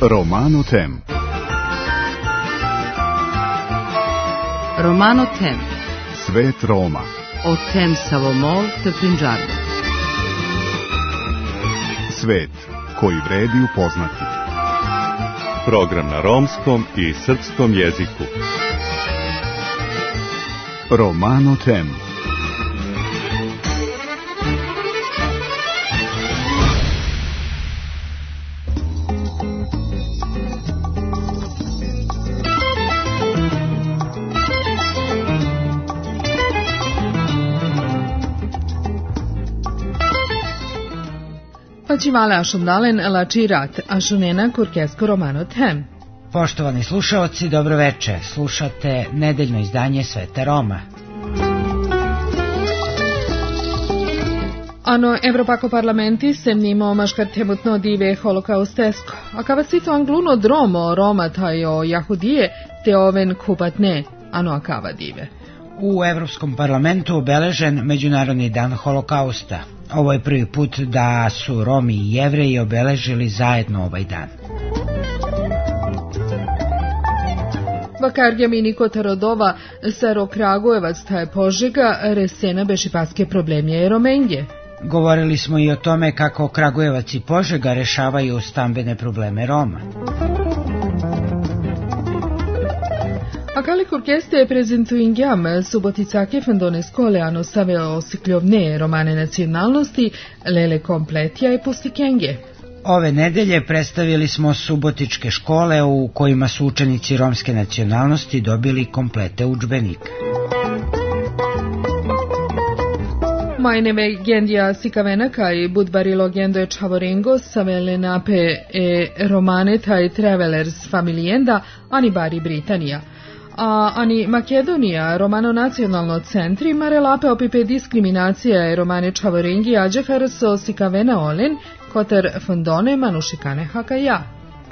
Romano Tem. Romano Tem. Svet Roma. O Tem Savomol të Punjabi. Svet koji vredi upoznati. Program na romskom i srpskom jeziku. Romano Tem. Pačivale ašundalen lačirat ašunena kurkesko Romano Tem. Poštovani slušaoci, dobroveče. Slušate nedeljno izdanje Sveta Roma. Ano Evropako parlamenti semnimo maškartemutno dive holokaustesko. A kavasito angluno dromo Roma tajo jahudije te oven kupatne, ano akava dive. U Evropskom parlamentu obeležen Međunarodni dan holokausta. Ovo je prvi put da su Romi i Jevreji obeležili zajedno ovaj dan. Vakargjamini Kotarodova, Saro Kragujevac, taj Požega, resena bešipaske problemje Romenje. Govorili smo i o tome kako Kragujevac i Požega rešavaju stambene probleme Roma. Akali kurkeste prezentuingjam suboticake fendone skole ano stave osikljovne romane nacionalnosti, lele kompletja i pustikenge. Ove nedelje predstavili smo subotičke škole u kojima su učenici romske nacionalnosti dobili komplete udžbenika. Majneve gendija sikavenaka i budbarilo gendoje čavorengo savele nape romane taj travelers familijenda ani bari Britanija. A ani Makedonija romano nacionalno centri mare lape opipe diskriminacija e romane čavorengi ađehar so sikavena olen koter fondone manušikane hakaja.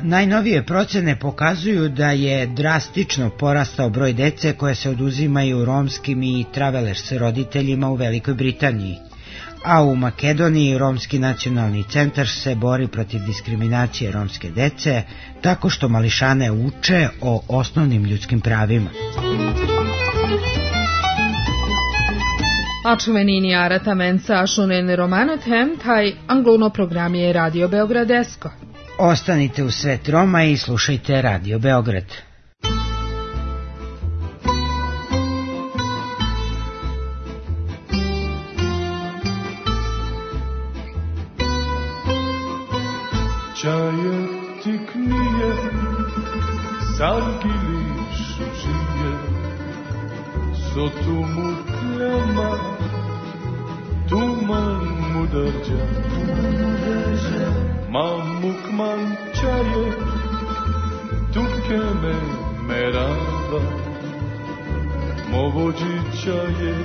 Najnovije procene pokazuju da je drastično porastao broj dece koje se oduzimaju romskim i travelers roditeljima u Velikoj Britaniji. A u Makedoniji Romski nacionalni centar se bori protiv diskriminacije romske dece tako što mališane uče o osnovnim ljudskim pravima. Ačuvenini aratamenca ašunen Romano Tem, taj angluno program je Radio Beogradesko. Ostanite u Svet Roma i slušajte Radio Beograd. Čaje tiknije, sargili šužije, sotumu kljama, tuman mudarđa, mamukman čaje, tukeme merava, movođi čaje,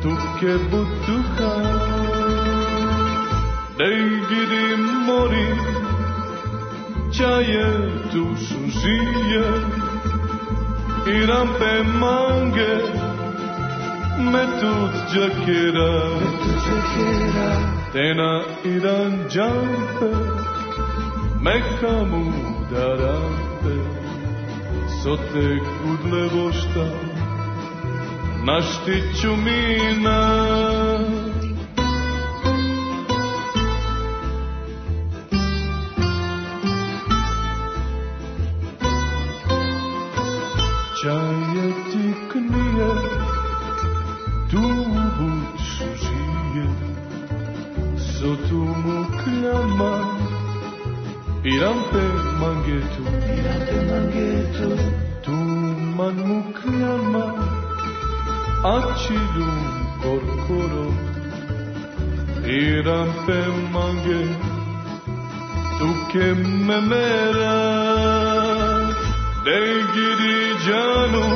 tuke butuha. Dej gidi mori, čaje tu šužije, i rampe mange, metut džakera, tena iran džampe, mekamu darampe, sote kudle vošta, naštiću mina. Čaje tiknije, tu buću žije, sotu mu kljama, i rampe mangetu, tuman mu kljama, ačilum korkoro, i rampe mange, tuke memera. Dej gidi džanu,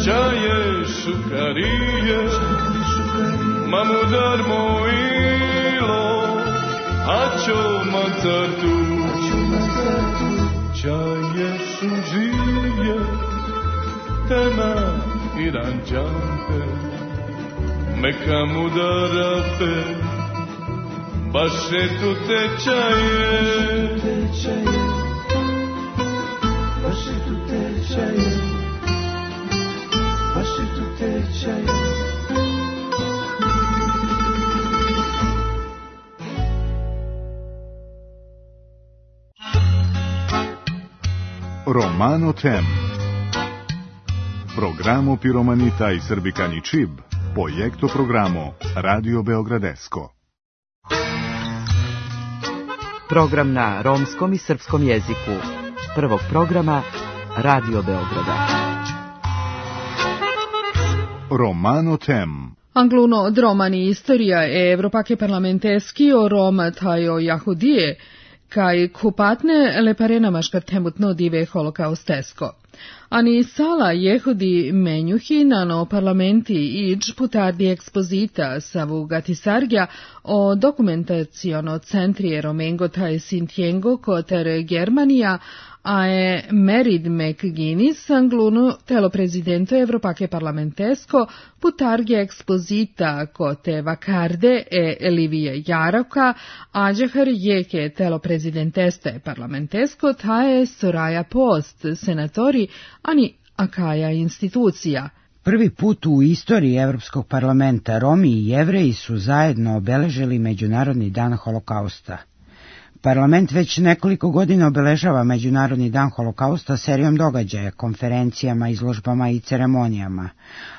čaje šukarije, mamudar mojilo, ačo mancartu, čaje šužije, tema i ranđampe, meka mudarape, baše tu tečaje, baše tu tečaje, baše tu tečaje. Romano Tem. Programo Piromanita i Srbikani Čib, projekto programo Radio Beogradesko. Program na romskom i srpskom jeziku. Prvog programa Radio Beograda. Romano Tem. Angluno od romani istorija e Evropake parlamenteski o Roma tajo Jahudije, kaj kupatne leparena maškartemutno dive holokaustesko. Ani sala jehudi menjuhi nano parlamenti iđ putardi ekspozita savu gatisargja o dokumentaciono centri Romengo taj Sintiengo koter Germanija, a je Merid McGuinness angluno telo prezidento Evropake parlamentesko putargje ekspozita kote Vakarde e Livije Jaroka, ađehar jeke telo prezidenteste parlamentesko taje Soraya Post, senatori, ani akaja institucija. Prvi put u istoriji Evropskog parlamenta Romi i Jevreji su zajedno obeležili Međunarodni dan holokausta. Parlament već nekoliko godina obeležava Međunarodni dan holokausta serijom događaja, konferencijama, izložbama i ceremonijama,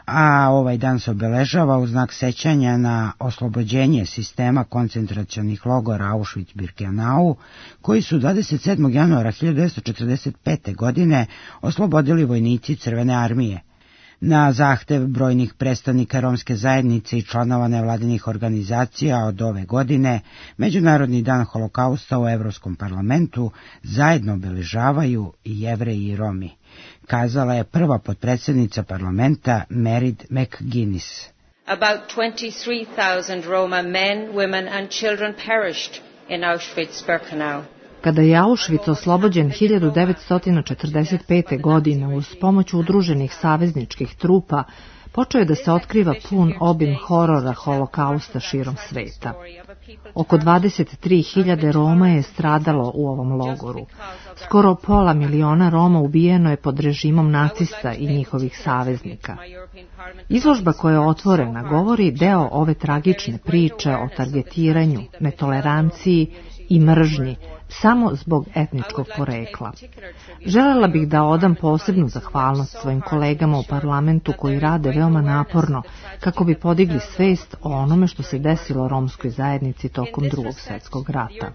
a ovaj dan se obeležava u znak sećanja na oslobođenje sistema koncentracionih logora Auschwitz-Birkenau, koji su 27. januara 1945. godine oslobodili vojnici Crvene armije. Na zahtev brojnih predstavnika romske zajednice i članova nevladinih organizacija od ove godine, Međunarodni dan holokausta u Evropskom parlamentu zajedno obeležavaju i Jevreji i Romi, kazala je prva potpredsjednica parlamenta Merid McGuinness. About 23,000 Roma men, women and children perished in Auschwitz-Birkenau. Kada je Auschwitz oslobođen 1945. godine uz pomoć udruženih savezničkih trupa, počeo je da se otkriva pun obim horora holokausta širom sveta. Oko 23.000 Roma je stradalo u ovom logoru. Skoro 500.000 Roma ubijeno je pod režimom nacista i njihovih saveznika. Izložba koja je otvorena govori deo ove tragične priče o targetiranju, netoleranciji i mržnji samo zbog etničkog porekla. Želela bih da odam posebnu zahvalnost svojim kolegama u parlamentu koji rade veoma naporno kako bi podigli svest o onome što se desilo romskoj zajednici tokom Drugog svjetskog rata.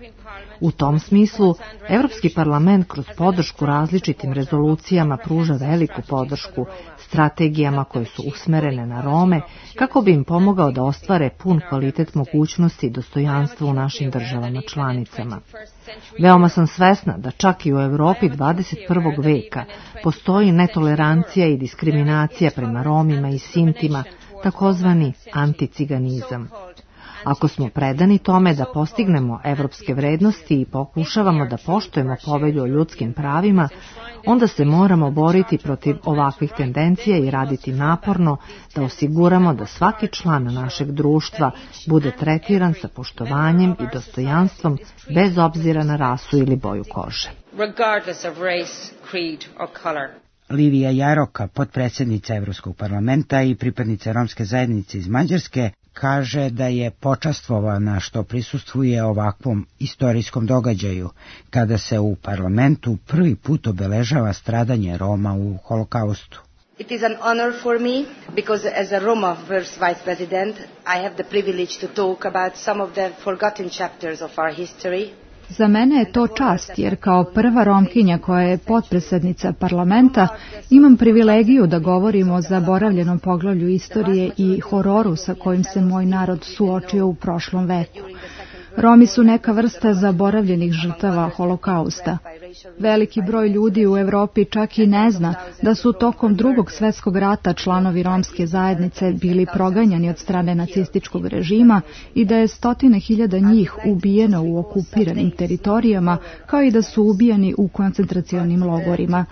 U tom smislu, Evropski parlament kroz podršku različitim rezolucijama pruža veliku podršku strategijama koje su usmerene na Rome kako bi im pomogao da ostvare pun kvalitet mogućnosti i dostojanstva u našim državama članicama. Veoma sam svesna da čak i u Evropi 21. veka postoji netolerancija i diskriminacija prema Romima i Sintima, takozvani anticiganizam. Ako smo predani tome da postignemo evropske vrednosti i pokušavamo da poštujemo povelju o ljudskim pravima, onda se moramo boriti protiv ovakvih tendencija i raditi naporno da osiguramo da svaki član našeg društva bude tretiran sa poštovanjem i dostojanstvom bez obzira na rasu ili boju kože. Livija Jaroka, potpredsjednica Evropskog parlamenta i pripadnica romske zajednice iz Mađarske, kaže da je počastvovana što prisustvuje ovakvom istorijskom događaju, kada se u parlamentu prvi put obeležava stradanje Roma u holokaustu. It is an honor for me because as a Roma first vice president I have the privilege to talk about some of the forgotten chapters of our history. Za mene je to čast jer kao prva Romkinja koja je potpredsjednica parlamenta imam privilegiju da govorim o zaboravljenom poglavlju istorije i hororu sa kojim se moj narod suočio u prošlom veku. Romi su neka vrsta zaboravljenih žrtava holokausta. Veliki broj ljudi u Europi čak i ne zna da su tokom Drugog svjetskog rata članovi romske zajednice bili proganjani od strane nacističkog režima i da je 100.000 njih ubijeno u okupiranim teritorijama, kao i da su ubijani u koncentracionim logorima.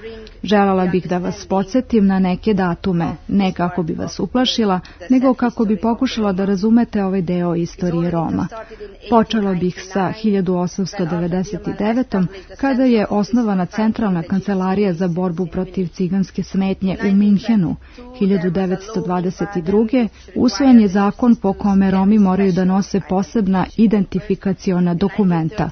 Željela bih da vas podsjetim na neke datume, ne kako bi vas uplašila, nego kako bi pokušala da razumete ovaj deo istorije Roma. Počela bih sa 1899. kada je osnovana Centralna kancelarija za borbu protiv ciganske smetnje u Minhenu. 1922. usvojen je zakon po kome Romi moraju da nose posebna identifikaciona dokumenta.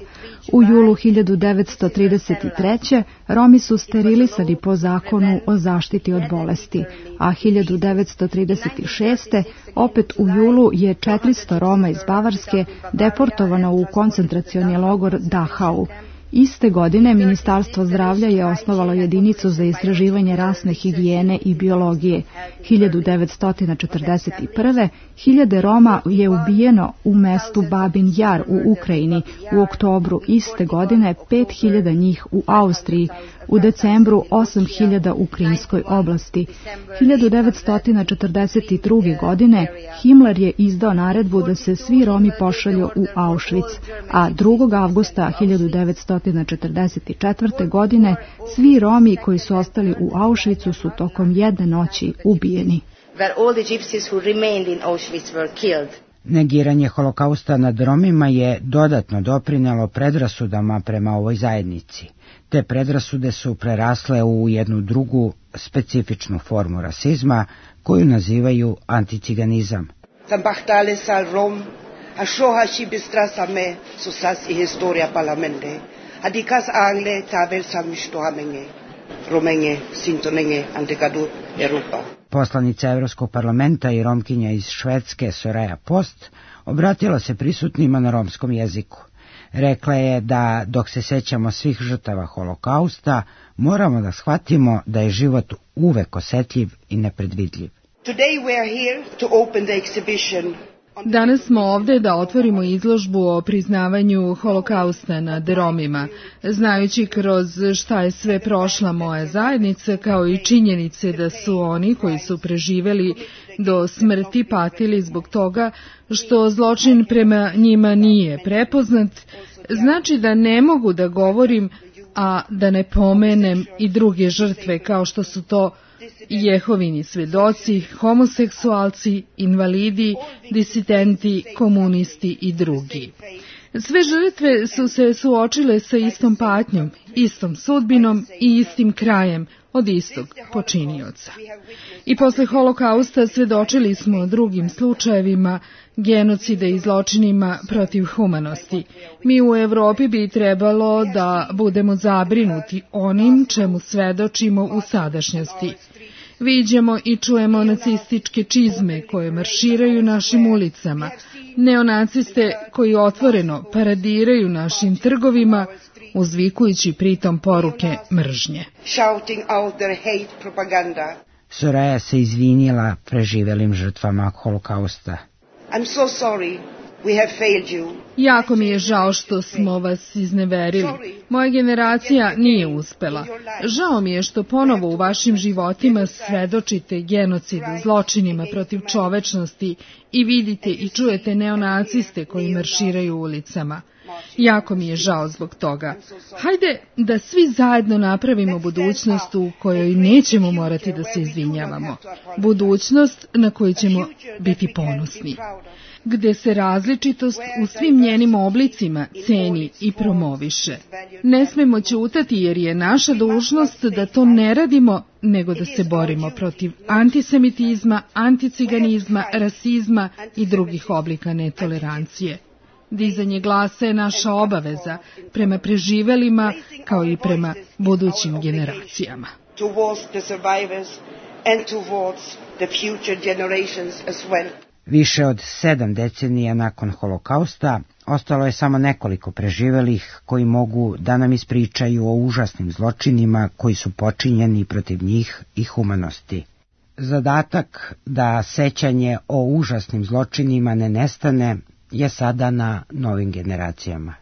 U julu 1933. Romi su sterilisani po zakonu o zaštiti od bolesti, a 1936. opet u julu je 400 Roma iz Bavarske deportovano u koncentracioni logor Dachau. Iste godine Ministarstvo zdravlja je osnovalo jedinicu za istraživanje rasne higijene i biologije. 1941. 1000 Roma je ubijeno u mestu Babin Jar u Ukrajini, u oktobru iste godine 5000 njih u Austriji, u decembru 8000 u Krimskoj oblasti. 1942. godine Himmler je izdao naredbu da se svi Romi pošalju u Auschwitz, a 2. avgusta 1944. godine svi Romi koji su ostali u Auschwitzu su tokom jedne noći ubijeni. Negiranje holokausta nad Romima je dodatno doprinelo predrasudama prema ovoj zajednici. Te predrasude su prerasle u jednu drugu specifičnu formu rasizma koju nazivaju anticiganizam. Poslanica Evropskog parlamenta i Romkinja iz Švedske Soraya Post obratila se prisutnima na romskom jeziku. Rekla je da dok se sećamo svih žrtava holokausta, moramo da shvatimo da je život uvek osetljiv i nepredvidljiv. Danas smo ovdje da otvorimo izložbu o priznavanju holokausta nad Romima, znajući kroz šta je sve prošla moja zajednica, kao i činjenice da su oni koji su preživeli do smrti patili zbog toga što zločin prema njima nije prepoznat, znači da ne mogu da govorim, a da ne pomenem i druge žrtve kao što su to Jehovini svedoci, homoseksualci, invalidi, disidenti, komunisti i drugi. Sve žrtve su se suočile sa istom patnjom, istom sudbinom i istim krajem od istog počinioca. I posle holokausta svedočili smo drugim slučajevima genocida i zločinima protiv humanosti. Mi u Evropi bi trebalo da budemo zabrinuti onim čemu svedočimo u sadašnjosti. Viđamo i čujemo nacističke čizme koje marširaju našim ulicama, neonaciste koji otvoreno paradiraju našim trgovima, uzvikujući pritom poruke mržnje. Soraya se izvinila preživelim žrtvama holokausta. Jako mi je žao što smo vas izneverili. Moja generacija nije uspela. Žao mi je što ponovo u vašim životima svedočite genocidu, zločinima protiv čovečnosti i vidite i čujete neonaciste koji marširaju ulicama. Jako mi je žao zbog toga. Hajde da svi zajedno napravimo budućnost u kojoj nećemo morati da se izvinjavamo. Budućnost na koju ćemo biti ponosni, gde se različitost u svim njenim oblicima ceni i promoviše. Ne smemo ćutati jer je naša dužnost da to ne radimo, nego da se borimo protiv antisemitizma, anticiganizma, rasizma i drugih oblika netolerancije. Dizanje glasa je naša obaveza prema preživelima kao i prema budućim generacijama. Više od 7 decenija nakon holokausta ostalo je samo nekoliko preživelih koji mogu da nam ispričaju o užasnim zločinima koji su počinjeni protiv njih i humanosti. Zadatak da sećanje o užasnim zločinima ne nestane je sada na novim generacijama.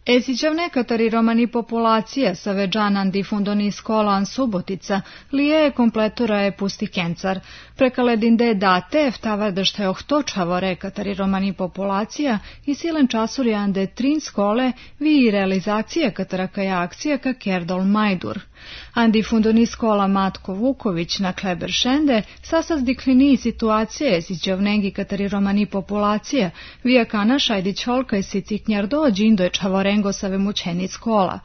Esićevne katari romani populacija sa veđanan difundoni skolan Subotica, lije kompletura je pusti kencar. Prekaledinde date, vtavardešta je ohtočavore katari romani populacija i silen časur ande trin skole vi realizacija katarakaja akcija ka Kerdol Majdur. Andi fundoni skola Matko Vuković na Kleberšende sasaz diklini situacije esićevnegi katari romani populacija, vija kana šajdić holka i siciknjar dođi indo je čavorengo sa vemućeni skola.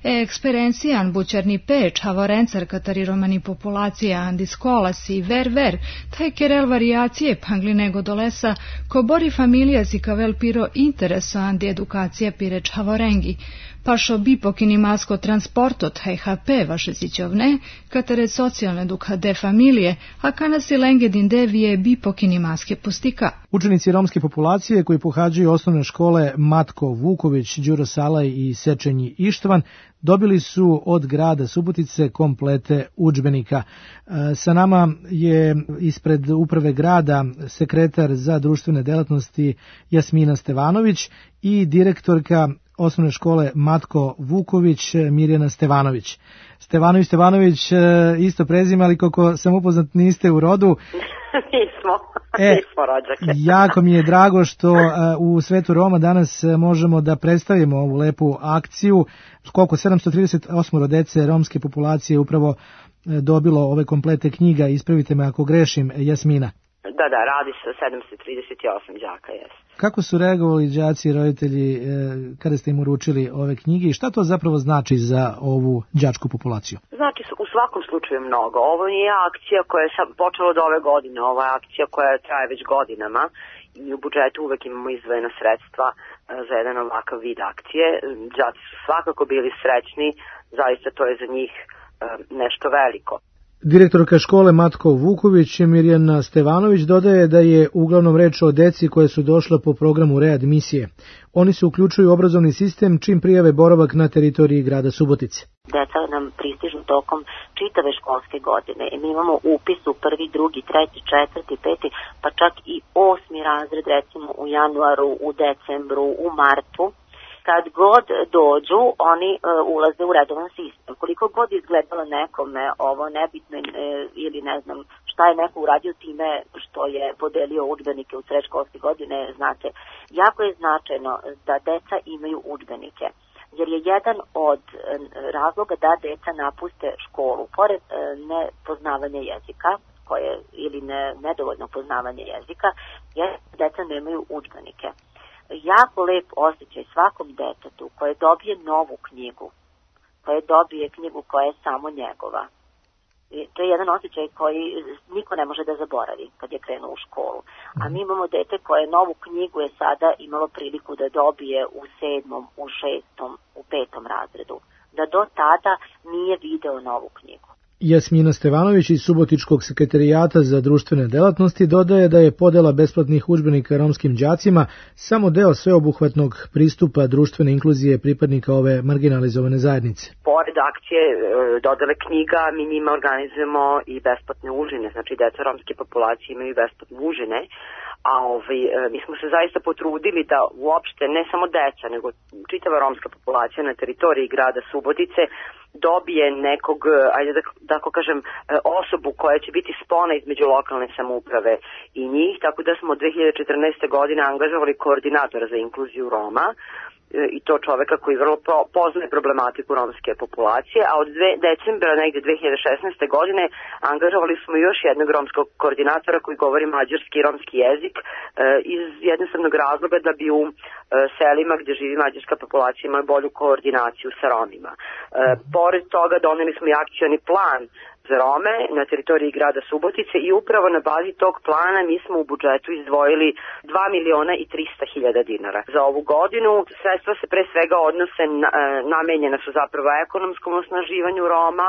Eksperencijan bućerni pe čavorencar katari romani populacija andi skola si ver, taj kerel variacije pangli nego dolesa, ko bori familija si kavel piro intereso andi edukacija pire čavorengi. Pašo bipokini masko transporto taj HP vaše sićovne, katare socijalne duka de familije, a kana si lengedin de vije bipokini maske pustika. Učenici romske populacije koji pohađaju osnovne škole Matko Vuković, Đuro Salaj i Sečenji Ištvan dobili su od grada Subotice komplete udžbenika. Sa nama je ispred uprave grada sekretar za društvene delatnosti Jasmina Stevanović i direktorka osnovne škole Matko Vuković Mirjana Stevanović. Stevanović, isto prezime, ali koliko sam upoznat niste u rodu. Nismo rođake. Jako mi je drago što u svetu Roma danas možemo da predstavimo ovu lepu akciju. Koliko 738 dece romske populacije upravo dobilo ove komplete knjiga, ispravite me ako grešim, Jasmina. Da, radi se o 738 đaka, jes. Kako su reagovali đaci i roditelji kada ste im uručili ove knjige i šta to zapravo znači za ovu đačku populaciju? Znači u svakom slučaju mnogo. Ovo nije akcija koja je počela od ove godine, ovo je akcija koja traje već godinama i u budžetu uvek imamo izdvojena sredstva za jedan ovakav vid akcije. Đaci su svakako bili srećni, zaista to je za njih nešto veliko. Direktorka škole Matko Vuković Mirjana Stevanović dodaje da je uglavnom reč o deci koje su došla po programu readmisije. Oni se uključuju u obrazovni sistem čim prijave boravak na teritoriji grada Subotice. Deca nam pristižu tokom čitave školske godine. Mi imamo upis u 1., 2., 3., 4., 5., pa čak i 8. razred recimo u januaru, u decembru, u martu. Kad god dođu, oni ulaze u redovan sistem. Koliko god izgledalo nekome ovo nebitno ili ne znam šta je neko uradio time što je podelio udžbenike u sred školske godine, znate, jako je značajno da deca imaju udžbenike. Jer je jedan od razloga da deca napuste školu, pored nepoznavanja jezika, ili nedovoljno poznavanje jezika, je da deca nemaju udžbenike. Jako lep osjećaj svakom detetu koje dobije novu knjigu, koje dobije knjigu koja je samo njegova. I to je jedan osjećaj koji niko ne može da zaboravi kad je krenuo u školu. A mi imamo dete koje novu knjigu je sada imalo priliku da dobije u 7., u 6., u 5. razredu. Da do tada nije video novu knjigu. Jasmina Stevanović iz Subotičkog sekretarijata za društvene delatnosti dodaje da je podela besplatnih udžbenika romskim đacima samo deo sveobuhvatnog pristupa društvene inkluzije pripadnika ove marginalizovane zajednice. Pored akcije dodele knjiga, mi njima organizujemo i besplatne užine, znači deca romske populacije imaju besplatne užine, a mi smo se zaista potrudili da uopšte ne samo deca, nego čitava romska populacija na teritoriji grada Subotice dobije nekog, ajde da tako kažem, osobu koja će biti spona između lokalne samouprave i njih, tako da smo od 2014. godine angažovali koordinatora za inkluziju Roma, i to čoveka koji vrlo poznaje problematiku romske populacije, a od decembra negde 2016. godine angažovali smo još jednog romskog koordinatora koji govori mađarski i romski jezik iz jednostavnog razloga da bi u selima gdje živi mađarska populacija imali bolju koordinaciju sa Romima. Pored toga doneli smo i akcioni plan za Rome na teritoriji grada Subotice i upravo na bazi tog plana mi smo u budžetu izdvojili 2.300.000 dinara. Za ovu godinu sredstva se pre svega odnose, namenjena su zapravo ekonomskom osnaživanju Roma,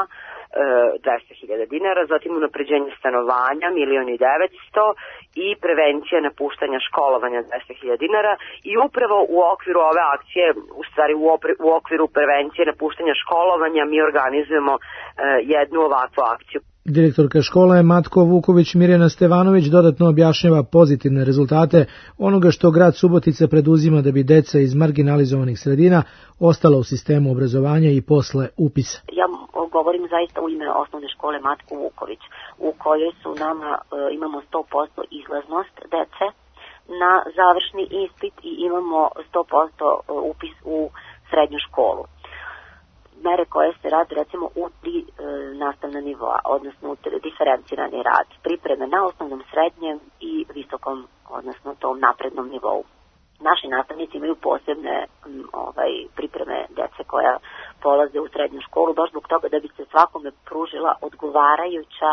200.000 dinara, zatim unapređenje stanovanja 1.900.000 i prevencija napuštanja školovanja 200.000 dinara i upravo u okviru ove akcije, u stvari u okviru prevencije napuštanja školovanja mi organizujemo jednu ovakvu akciju. Direktorka škole Matko Vuković Mirjana Stevanović dodatno objašnjava pozitivne rezultate onoga što grad Subotica preduzima da bi deca iz marginalizovanih sredina ostala u sistemu obrazovanja i posle upisa. Ja govorim zaista u ime osnovne škole Matko Vuković, u kojoj su imamo 100% izlaznost dece na završni ispit i imamo 100% upis u srednju školu. Mere koje se rade recimo u 3 nastavna nivoa, odnosno u diferencirani rad, pripreme na osnovnom, srednjem i visokom, odnosno tom naprednom nivou. Naši nastavnici imaju posebne pripreme dece koja polaze u srednju školu, baš zbog toga da bi se svakome pružila odgovarajuća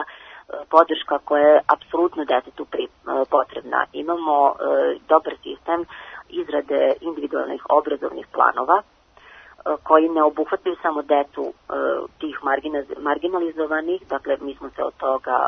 podrška koja je apsolutno detetu potrebna. Imamo dobar sistem izrade individualnih obrazovnih planova koji ne obuhvataju samo decu tih marginalizovanih, dakle mi smo se od toga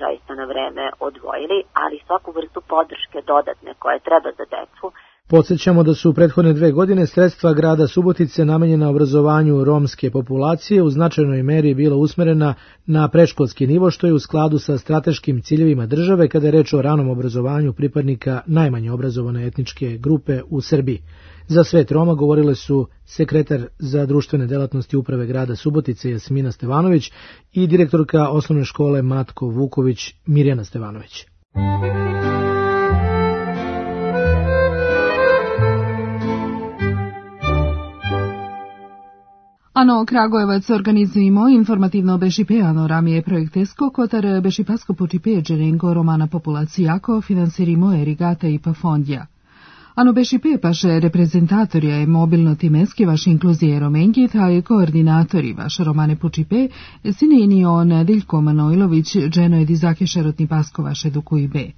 zaista na vreme odvojili, ali svaku vrstu podrške dodatne koje treba za decu. Podsjećamo da su u prethodne 2 godine sredstva grada Subotice namenjena obrazovanju romske populacije u značajnoj meri bila usmerena na predškolski nivo, što je u skladu sa strateškim ciljevima države kada je reč o ranom obrazovanju pripadnika najmanje obrazovane etničke grupe u Srbiji. Za Svet Roma govorile su sekretar za društvene delatnosti uprave grada Subotice Jasmina Stevanović i direktorka osnovne škole Matko Vuković Mirjana Stevanović. Ano Kragujevac organizujemo informativno bešipeano ramije projektesko, kotar bešipasko počipe džerengo romana populacijako finansirimo erigata i pa fondja. Ano bešipe paše reprezentatorja je mobilno timeski vaš inkluzije romengi, taj koordinatori vaš romane počipe, sine on Diljko Manojlović, dženo je dizake šerotni pasko vaš edukuj be.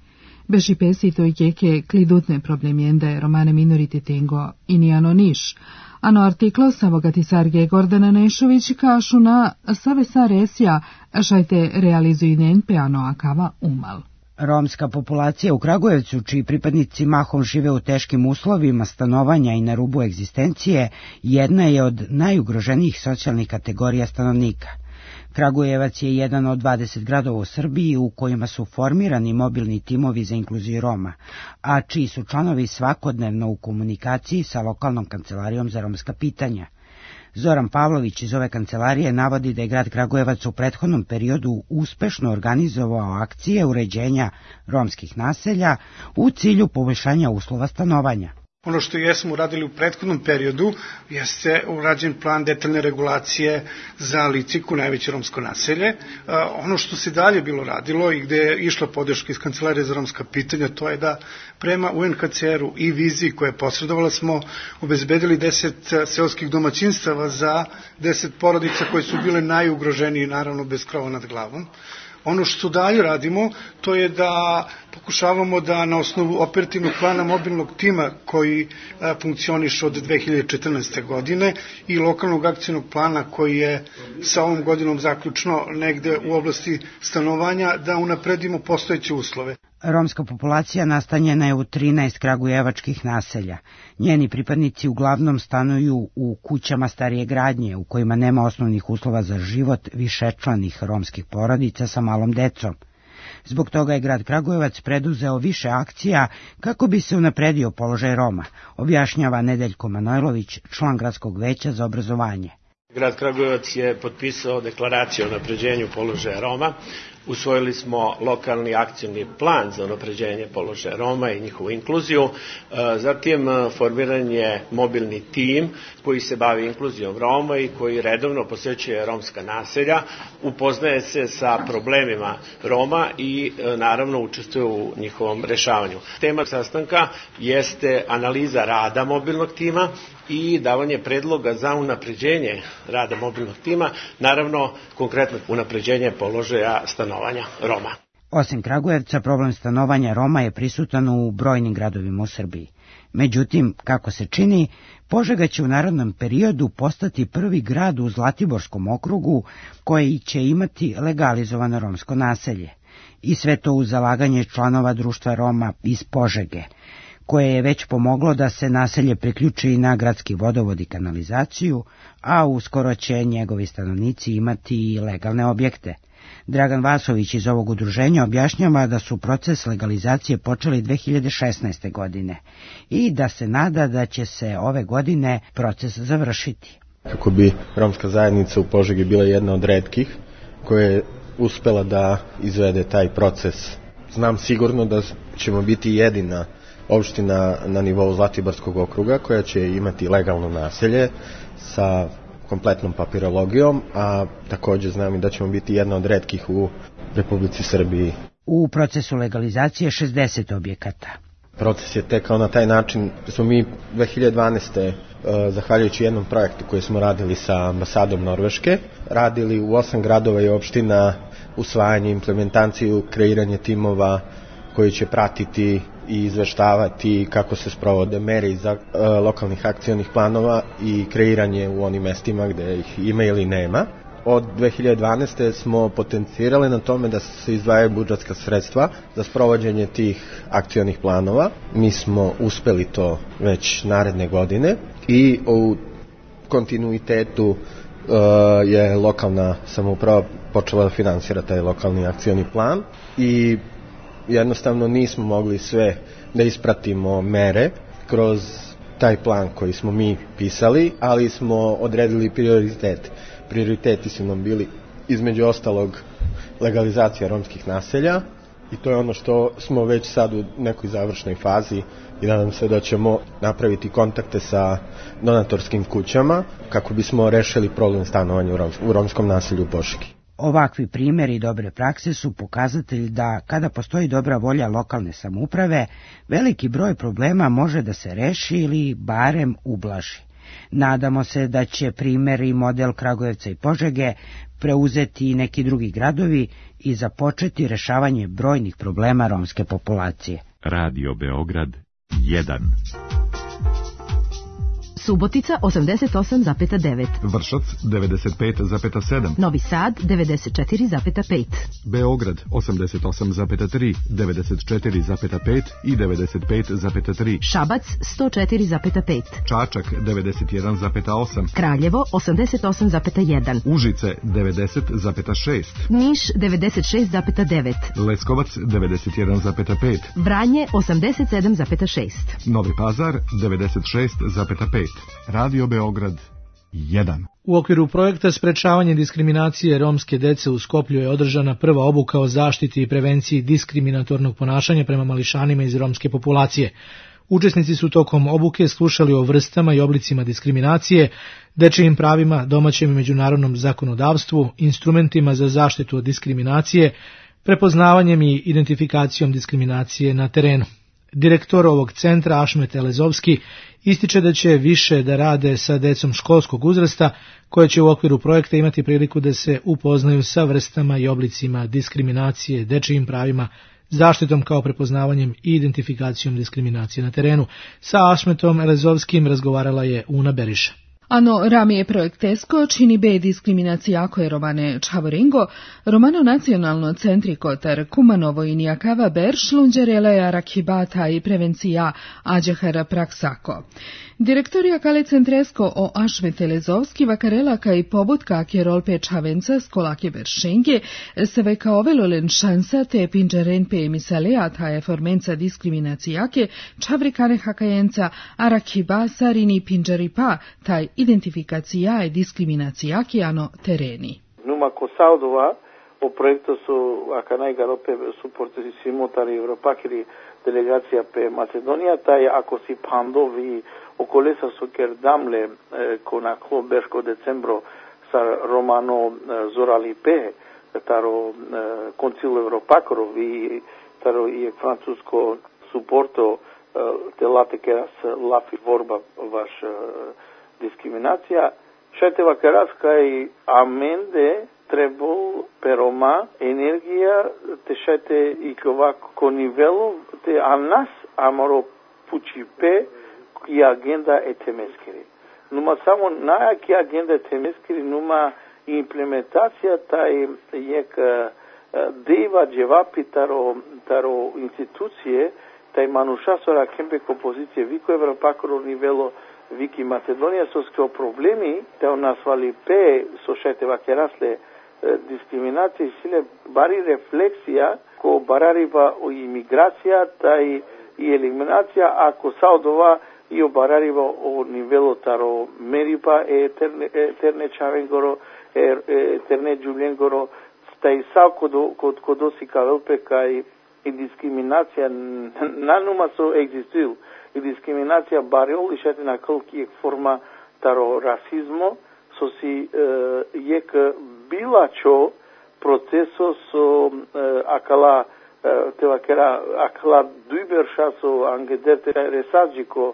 Bešipe si to jeke klidutne problemjende romane minoritetengo i nijano niš. Ano artiklo savogati Sarge Gordana Nešović kašu na save saresja šajte realizuju nenpe ano akava umal. Romska populacija u Kragujevcu, čiji pripadnici mahom žive u teškim uslovima stanovanja i na rubu egzistencije, jedna je od najugroženijih socijalnih kategorija stanovnika. Kragujevac je jedan od 20 gradova u Srbiji u kojima su formirani mobilni timovi za inkluziju Roma, a čiji su članovi svakodnevno u komunikaciji sa lokalnom kancelarijom za romska pitanja. Zoran Pavlović iz ove kancelarije navodi da je grad Kragujevac u prethodnom periodu uspešno organizovao akcije uređenja romskih naselja u cilju poboljšanja uslova stanovanja. Ono što jesmo uradili u prethodnom periodu jeste urađen plan detaljne regulacije za Liciku, najveće romsko naselje. Ono što se dalje bilo radilo i gde je išla podrška iz Kancelarije za romska pitanja, to je da prema UNHCR-u i viziji koja je posredovala smo obezbedili 10 seoskih domaćinstava za 10 porodica koje su bile najugroženije, naravno bez krova nad glavom. Ono što dalje radimo, to je da pokušavamo da na osnovu operativnog plana mobilnog tima koji funkcioniše od 2014. godine i lokalnog akcijnog plana koji je sa ovom godinom zaključno negde u oblasti stanovanja, da unapredimo postojeće uslove. Romska populacija nastanjena je u 13 kragujevačkih naselja. Njeni pripadnici uglavnom stanuju u kućama starije gradnje, u kojima nema osnovnih uslova za život višečlanih romskih porodica sa malom decom. Zbog toga je grad Kragujevac preduzeo više akcija kako bi se unapredio položaj Roma, objašnjava Nedeljko Manojlović, član gradskog veća za obrazovanje. Grad Kragujevac je potpisao deklaraciju o unapređenju položaja Roma. Usvojili smo lokalni akcijni plan za unapređenje položaja Roma i njihovu inkluziju. Zatim formiran je mobilni tim koji se bavi inkluzijom Roma i koji redovno posećuje romska naselja, upoznaje se sa problemima Roma i naravno učestvuje u njihovom rešavanju. Tema sastanka jeste analiza rada mobilnog tima i davanje predloga za unapređenje rada mobilnog tima, naravno konkretno unapređenje položaja stanovanja Roma. Osim Kragujevca, problem stanovanja Roma je prisutan u brojnim gradovima u Srbiji. Međutim, kako se čini, Požega će u narednom periodu postati prvi grad u Zlatiborskom okrugu koji će imati legalizovano romsko naselje. I sve to uz zalaganje članova društva Roma iz Požege, koje je već pomoglo da se naselje priključi na gradski vodovod i kanalizaciju, a uskoro će njegovi stanovnici imati i legalne objekte. Dragan Vasović iz ovog udruženja objašnjava da su proces legalizacije počeli 2016. godine i da se nada da će se ove godine proces završiti. Kako bi romska zajednica u Požegi bila jedna od retkih koja je uspela da izvede taj proces. Znam sigurno da ćemo biti jedina opština na nivou Zlatiborskog okruga koja će imati legalno naselje sa kompletnom papirologijom, a takođe znam i da ćemo biti jedna od retkih u Republici Srbiji. U procesu legalizacije 60 objekata. Proces je tekao na taj način da smo mi 2012. Zahvaljujući jednom projektu koji smo radili sa ambasadom Norveške, radili u 8 gradova i opština usvajanje, implementaciju, kreiranje timova koji će pratiti i izveštavati kako se sprovode mere iz lokalnih akcionih planova i kreiranje u onim mestima gde ih ima ili nema. Od 2012. smo potencirali na tome da se izdvajaju budžetska sredstva za sprovođenje tih akcionih planova. Mi smo uspeli to već naredne godine i u kontinuitetu je lokalna samouprava počela da finansira taj lokalni akcioni plan i jednostavno nismo mogli sve da ispratimo mere kroz taj plan koji smo mi pisali, ali smo odredili prioritete. Prioriteti su nam bili između ostalog legalizacija romskih naselja i to je ono što smo već sad u nekoj završnoj fazi i nadam se da ćemo napraviti kontakte sa donatorskim kućama kako bismo rešili problem stanovanja u romskom naselju u Požegi. Ovakvi primjeri dobre prakse su pokazatelj da kada postoji dobra volja lokalne samouprave, veliki broj problema može da se reši ili barem ublaži. Nadamo se da će primjer i model Kragujevca i Požege preuzeti i neki drugi gradovi i započeti rešavanje brojnih problema romske populacije. Radio Beograd 1. Subotica 88,9. Vršac 95,7. Novi Sad 94,5. Beograd 88,3, 94,5 i 95,3. Šabac 104,5. Čačak 91,8. Kraljevo 88,1. Užice 90,6. Niš 96,9. Leskovac 91,5. Vranje 87,6. Novi Pazar 96,5. Radio Beograd 1. U okviru projekta Sprečavanje diskriminacije romske dece u Skoplju je održana prva obuka o zaštiti i prevenciji diskriminatornog ponašanja prema mališanima iz romske populacije. Učesnici su tokom obuke slušali o vrstama i oblicima diskriminacije, dečijim pravima, domaćem i međunarodnom zakonodavstvu, instrumentima za zaštitu od diskriminacije, prepoznavanjem i identifikacijom diskriminacije na terenu. Direktor ovog centra Ašmet Elezovski ističe da će više da rade sa decom školskog uzrasta, koje će u okviru projekta imati priliku da se upoznaju sa vrstama i oblicima diskriminacije, dečijim pravima, zaštitom kao prepoznavanjem i identifikacijom diskriminacije na terenu. Sa Ašmetom Elezovskim razgovarala je Una Beriša. Ano ramije projekt ESCO čini be diskriminacija koje romane Čavoringo, romano nacionalno centri kotar Kumanovo i Nijakava Berš, lunđereleja rakibata i prevencija ađehara praksako. Direktorija kale centresko o Ašmet Elezovski vakarelaka i pobutka kjerolpe Čavenca skolake Beršenge se veka ovelolen šansa te pinđerenpe emisalea taje formenca diskriminacijake čavrikane hakajenca arakiba sarini pinđeripa taj identifikacija i diskriminacijake ano tereni. Numa Kosaudova o projektu su akanaj garope suportisimo tari Evropakiri delegacija pe Macedonija, taj ako si pandovi okolesa su kerdamle kona klobeško decembro sa romano Zorali pe, taro koncil Evropakorov i taro i francusko suporto te latekeras lafi vorba vaš diskriminacija. Šeteva keraska i amende trebol peroma energija te šete i kovako nivelu te anas amoro pučipe ki agenda etemeskiri. Numa samo najaki agenda etemeskiri numa implementacija taj jek deva dževapi taro institucije taj manušasora kempe kompozicije viko Evropakoro nivelo Viki Macedonija so skro problemi te u nas vali pe so šeteva kerasle diskriminacija sile bari refleksija ko barariva o imigracija taj i eliminacija ako saudova i o barariva o nivelo taro meripa eterne chavengoro eterne julengoro taj sao kodosi kavelpe kai i diskriminacija nanuma so existuju i diskriminacija bariol išete na koliki forma taro rasizmo so si jek bilačo proceso so akala akala duiberša so angederte resađiko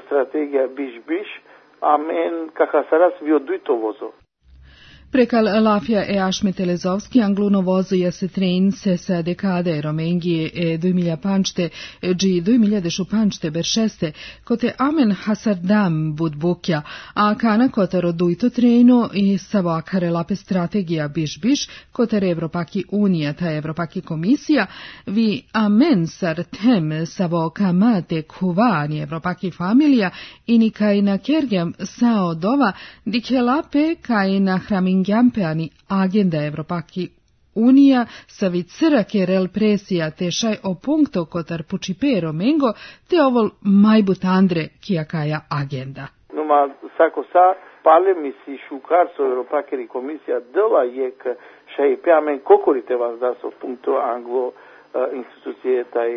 strategija biš, amen kakasaras vio duitovozo. Prekal Lafia e Ashmet Elezovski angluno vozo se trein se decade romenghi e 2005 G 2015 beršeste kote amen hasardam budbukja a kana kotaro duito treino i savo akare lape strategija biš kotere Evropaki unija ta Evropaki komisija vi amen sar tem savo kamate kuvani Evropaki familija i ni kaj na kergjam sao dova dikelape kaj na hramin Gjampeani agenda Evropaki unija sa vicrake rel presija te šaj o punkto kotar pučipero mengo te ovol majbut andre kijakaja agenda. Numa sako sa pale mi si šukar so Evropakeri komisija dela jek šaj peamen kokorite vas da so punkto anglo institucije taj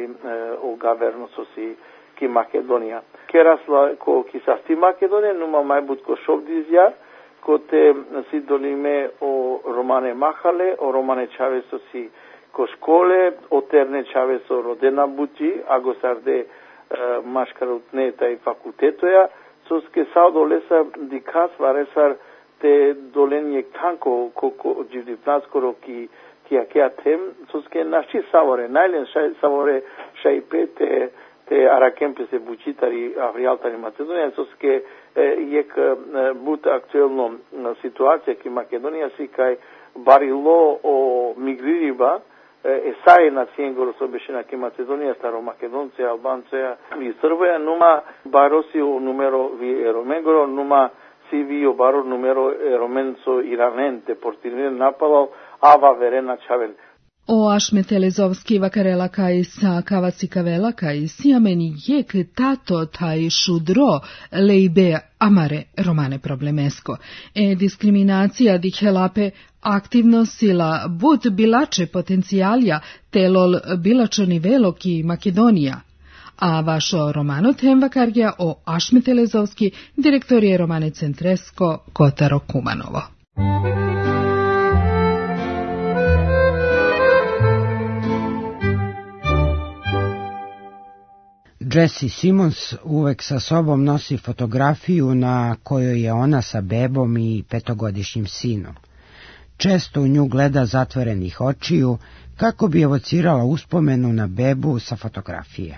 o governo so si ki Makedonija. Kerasla ko kisasti Makedonija numa majbut ko šovdizja kote si dolime o Romane Mahale, o Romane Čaveso si ko škole, o Terne Čaveso rodena buti, ago sarde maškarutne taj fakultetoja, soske sao dolesa dikas varesar te dolenjek tanko koko dživdipnaskoro ki akea tem, soske naši savore, najlen savore šajpe te arakempe se bučitari avrijaltari Macedonija, soske jek but aktuelno situacija ki Makedonija si kaj barilo o migririba esaje na cijengoro sobešena ki Macedonija staro Makedonce, Albanceja i Srboja numa barosi o numero vi eromengoro numa si vi o baro numero eromenco iranente portirine napalal ava verena čaven. O Ashmet Elezovski vakarela kaj sa kavaci kavela kaj siameni jek tato taj šudro leibe amare romane problemesko. Diskriminacija dihelape aktivno sila but bilače potencijalja telol bilačo nivelo ki Makedonija. A vašo romano tem vakarja o Ashmet Elezovski direktor je romane Centresko Kotaro Kumanovo. Jessie Simons uvek sa sobom nosi fotografiju na kojoj je ona sa bebom i 5-godišnjim sinom. Često u nju gleda zatvorenih očiju kako bi evocirala uspomenu na bebu sa fotografije.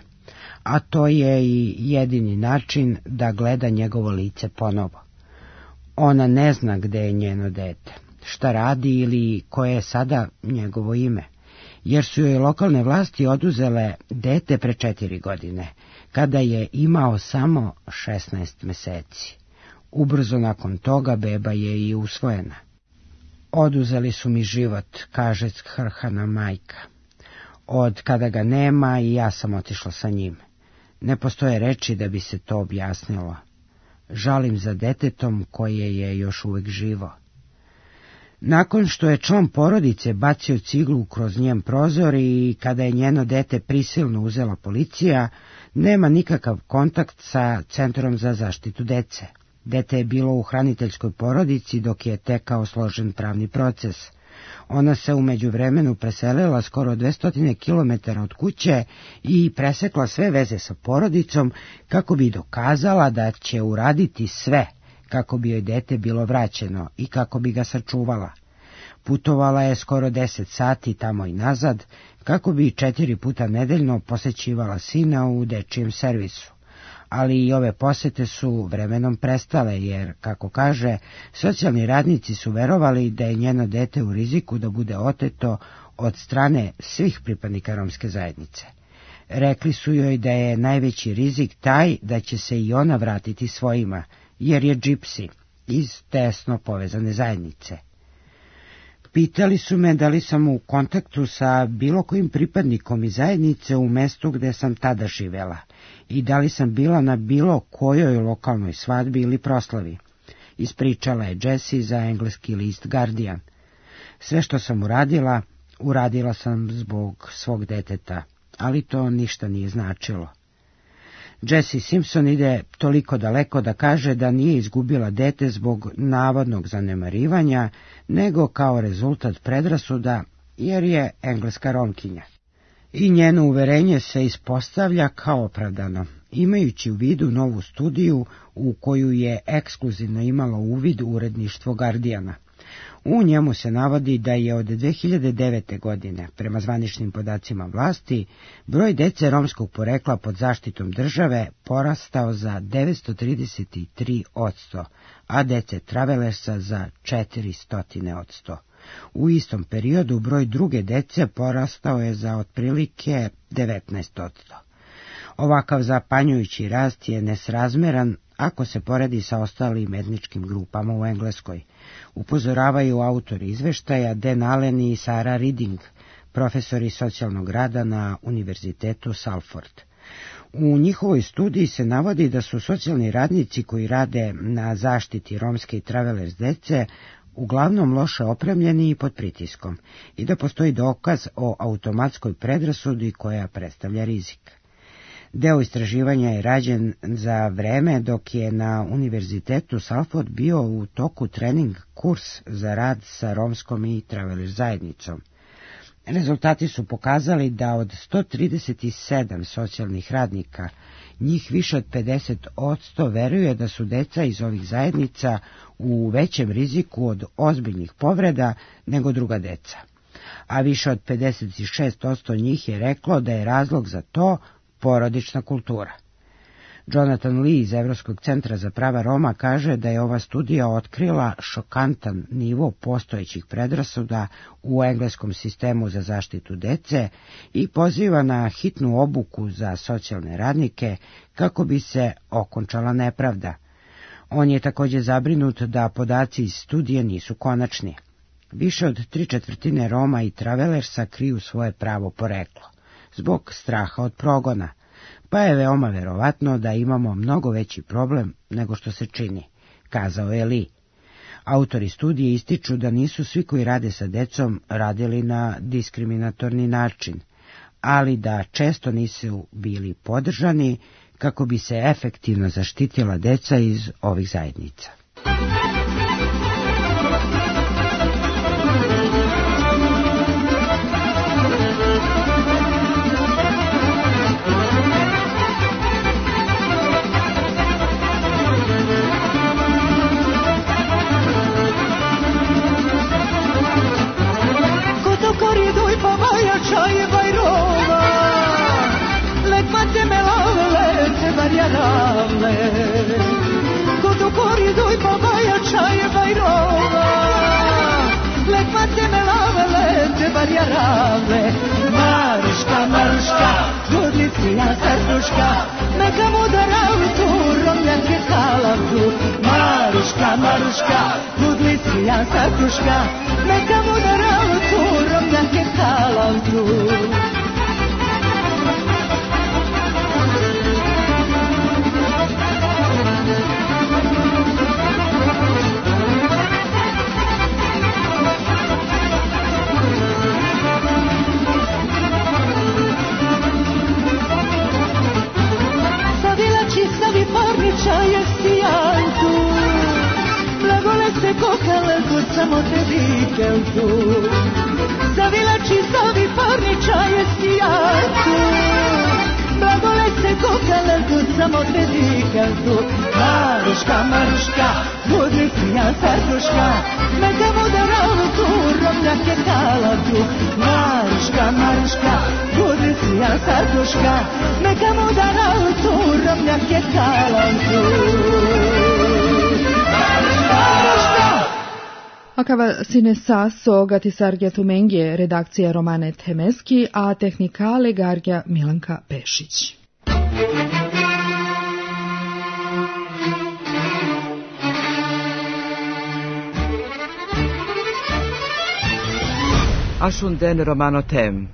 A to je i jedini način da gleda njegovo lice ponovo. Ona ne zna gde je njeno dete, šta radi ili koje je sada njegovo ime, jer su joj lokalne vlasti oduzele dete pre 4 godine, kada je imao samo 16 meseci. Ubrzo nakon toga beba je i usvojena. Oduzeli su mi život, kaže skrhana majka. Od kada ga nema i ja sam otišla sa njim. Ne postoje reči da bi se to objasnilo. Žalim za detetom koje je još uvek živo. Nakon što je član porodice bacio ciglu kroz njen prozor i kada je njeno dete prisilno uzela policija, nema nikakav kontakt sa Centrom za zaštitu dece. Dete je bilo u hraniteljskoj porodici dok je tekao složen pravni proces. Ona se u međuvremenu preselila skoro 200 km od kuće i presekla sve veze sa porodicom kako bi dokazala da će uraditi sve kako bi joj dete bilo vraćeno i kako bi ga sačuvala. Putovala je skoro 10 sati tamo i nazad kako bi 4 puta nedeljno posećivala sina u dečijem servisu. Ali i ove posete su vremenom prestale jer, kako kaže, socijalni radnici su verovali da je njeno dete u riziku da bude oteto od strane svih pripadnika romske zajednice. Rekli su joj da je najveći rizik taj da će se i ona vratiti svojima, jer je džipsi iz tesno povezane zajednice. Pitali su me da li sam u kontaktu sa bilo kojim pripadnikom iz zajednice u mestu gde sam tada živela i da li sam bila na bilo kojoj lokalnoj svadbi ili proslavi. Ispričala je Jessie za engleski list Guardian. Sve što sam uradila sam zbog svog deteta, ali to ništa nije značilo. Jessie Simpson ide toliko daleko da kaže da nije izgubila dete zbog navodnog zanemarivanja, nego kao rezultat predrasuda, jer je engleska Romkinja. I njeno uverenje se ispostavlja kao opravdano, imajući u vidu novu studiju u koju je ekskluzivno imalo uvid uredništvo Guardiana. U njemu se navodi da je od 2009. godine, prema zvaničnim podacima vlasti, broj dece romskog porekla pod zaštitom države porastao za 933%, a dece travelersa za 400%. U istom periodu broj druge dece porastao je za otprilike 19%. Ovakav zapanjujući rast je nesrazmeran ako se poredi sa ostalim etničkim grupama u Engleskoj, upozoravaju autori izveštaja Dan Allen i Sarah Reading, profesori socijalnog rada na Univerzitetu Salford. U njihovoj studiji se navodi da su socijalni radnici koji rade na zaštiti romske i travelers dece uglavnom loše opremljeni i pod pritiskom i da postoji dokaz o automatskoj predrasudi koja predstavlja rizik. Deo istraživanja je rađen za vreme dok je na Univerzitetu Salford bio u toku trening kurs za rad sa romskom i traveler zajednicom. Rezultati su pokazali da od 137 socijalnih radnika, njih više od 50% veruje da su deca iz ovih zajednica u većem riziku od ozbiljnih povreda nego druga deca, a više od 56% njih je reklo da je razlog za to porodična kultura. Jonathan Lee iz Evropskog centra za prava Roma kaže da je ova studija otkrila šokantan nivo postojećih predrasuda u engleskom sistemu za zaštitu dece i poziva na hitnu obuku za socijalne radnike kako bi se okončala nepravda. On je također zabrinut da podaci iz studije nisu konačni. Više od 3/4 Roma i travelersa kriju svoje pravo poreklo zbog straha od progona, pa je veoma verovatno da imamo mnogo veći problem nego što se čini, kazao je Lee. Autori studije ističu da nisu svi koji rade sa decom radili na diskriminatorni način, ali da često nisu bili podržani kako bi se efektivno zaštitila deca iz ovih zajednica. Maruška, Maruška, budnicija srduška, neka mu da rautu, romljanke halavku. Maruška, Maruška, budnicija srduška, neka mu da rautu, romljanke halavku. Samo te vikendu zavilači savi parniča je sijanku, blagole se kokalendu samo te vikendu. Maruška, Maruška, budnicija srduška, neka mu da rautu, romljake halavku. Maruška, Maruška, budnicija srduška, neka mu da rautu, romljake halavku. Maruška! Acaba sine sasso gatisargja Tumengije, redakcija Romane Temeski, a tehnikale Gargja Milanka Pešić. Ashunden romanotem.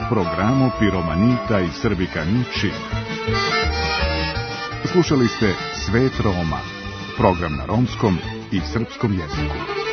Programo Piromanita i Srbikani čib. Slušali ste Svet Roma, program na romskom i srpskom jeziku.